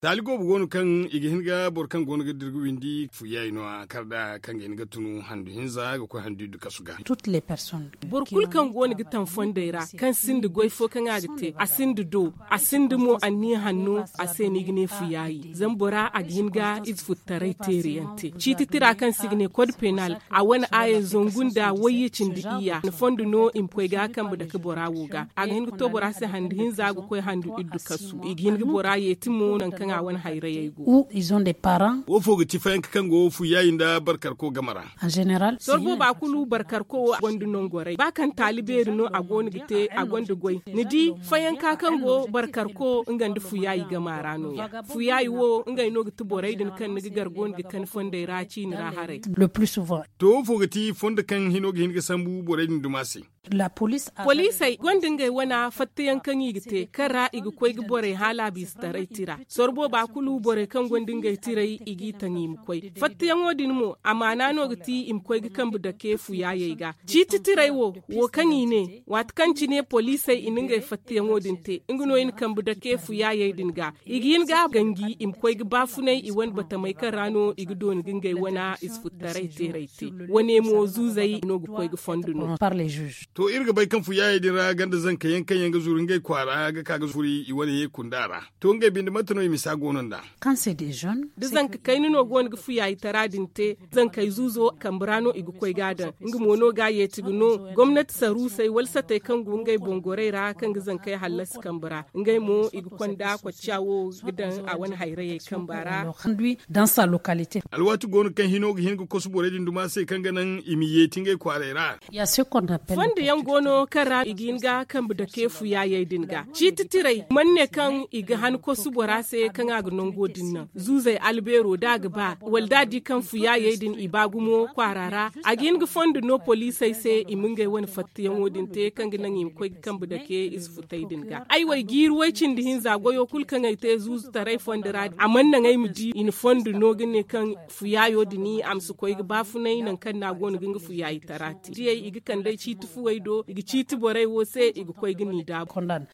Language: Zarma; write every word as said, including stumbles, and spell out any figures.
Taali goobo go no kaŋ i ga hin ga boro kaŋ go no ga dira ga windi fu yaayi no- ya kar nd'a kaŋ ga hin ga tunu handu hinza ga koy handu iddu kasu ga. Boro kulu kaŋ go no ga taŋ fondey ra, kaŋ sinda goy fo kaŋ a ga te, a sinda do, a sinda mo anniya hanno, a se no i ga ne fu yaayi zama bora a ga hin ga ize futtaray teeri yaŋ te ciiti tira kaŋ se i ga ne kod penal. A wane aaya zangu nda wayye cindi iyya ni fondo no i ma koy ga kambe dake bora wo ga. A ga hin ga to bora se handu hinza ga koy handu iddu kasu i ga hin ga bora yeeti mo nangu kaŋ a wane hayrayey go. Wo fo ga ti fayanka kaŋ go fu yaayi nda barkarko game ra. Sorbo ba kulu barkarko wo a gonda nongoray ba kaŋ taali beeri no a go no ga te a gonda goy. Ni di fayanka kaŋ go barkarko nga nda fu yaayi game ra no- ya fu yaayi wo ngey no ga ti borey din kaŋ ni ga gar go no ga kani fondey ra ciini ra haray. To wo fo ga ti fondo kaŋ hino ga hin ga sambu borey din duma se. Poliisey gonda ngey wana fattayaŋ kaŋ i ga te kaŋ ra i ga koy ga borey haala biisa taray tira. Sorbo ba kulu borey kaŋ gonda ngey tiray i g'i taŋ i ma koy fattayaŋo din mo amaana no ga ti i ma koy ga kambe dake fu yaayey ga. Ciiti tiray wo wo kaŋ i ne waati kaŋ cine poliisey i na ngey fattayaŋo din te nga no i na kambe dake fu yaayey din ga. I ga hin ga ganji i ma koy ga baafunay i wane batamey kaŋ ra no i ga dooni ga ngey wana ize futtaray teeray te. Wane mo zuuzey no ga koy ga fondo no. To iri ga bay kaŋ fu yaayey din ra ganda zanka yaŋ kaŋ yaŋ ga zuru ngey kwaara ga ka ga zuru i wane ye kunda ra. To ngey binde mate no i misa go no nd'a? Da zanka kayna no go no ga fu yaayi tara din te zankey zuuzo kambe ra no i ga koy ga a daŋ. Nga mo no ga a yeeti ga no gomnati saruusey wala satey kaŋ go ngey boŋ gorey ra kaŋ ga zankey hallasi kambe ra ngey mo i ga konda kocca wo ga daŋ a wane hayrayey kamba ra. Alwaati go no kaŋ hino ga hin ga kosu borey din duma se kaŋ ga naŋ i ma yeeti ngey kwaaray ra. Fondo yaŋ go no kaŋ ra i ga hin ga kambe dake fu yaayey din ga ciiti tiray mana ne kaŋ i ga han kosu bora se kaŋ a ga nango din naŋ zuuzey albeero da a ga ba wala da a di kaŋ fu yaayey din i ba gumo kwaara ra. A ga hin ga fondo no poliisey se i ma ngey wane fattayaŋo din te kaŋ ga naŋ i ma koy ga kambe dake ize futay din ga ay wo ay jiiri way cindi hinza goyo kulu kaŋ ay te zuuzu taray fondo ra a mana naŋ ay ma di i na fondo no ga ne kaŋ fu yaayo din a ma si koy ga baafunay nangu kaŋ no a go no ga nga fu yaayi tara te diyey i ga kand'ey ciiti fuwey do i ga ciiti borey wo se i ga koy ga n'i daabu.